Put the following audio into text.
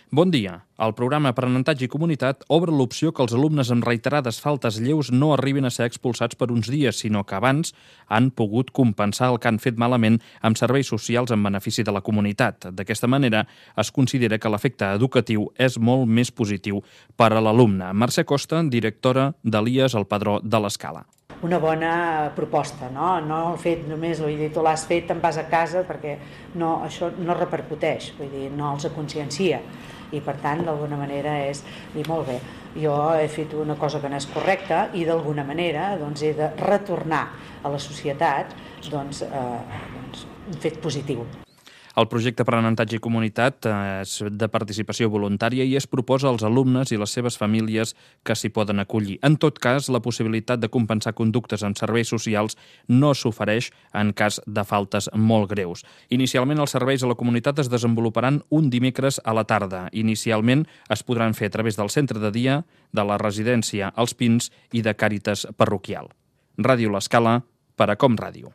Bon dia. El programa Aprenentatge i Comunitat obre l'opció que els alumnes amb reiterades faltes lleus no arribin a ser expulsats per uns dies, sinó que abans han pogut compensar el que han fet malament amb serveis socials en benefici de la comunitat. D'aquesta manera, es considera que l'efecte educatiu és molt més positiu per a l'alumne. Mercè Costa, directora d'Elies al Padró de l'Escala. Una bona proposta, no? No el fet només, vull dir, tu l'has fet, te'n vas a casa, perquè no, això no repercuteix, vull dir, no els consciencia. I per tant, d'alguna manera és dir, molt bé, jo he fet una cosa que no és correcta i d'alguna manera doncs, he de retornar a la societat un fet positiu. El projecte Aprenentatge i Comunitat és de participació voluntària i es proposa als alumnes i les seves famílies que s'hi poden acollir. En tot cas, la possibilitat de compensar conductes en serveis socials no s'ofereix en cas de faltes molt greus. Inicialment, els serveis a la comunitat es desenvoluparan un dimecres a la tarda. Inicialment, es podran fer a través del centre de dia, de la residència Els Pins i de Càritas Parroquial. Ràdio L'Escala, per a Com Ràdio.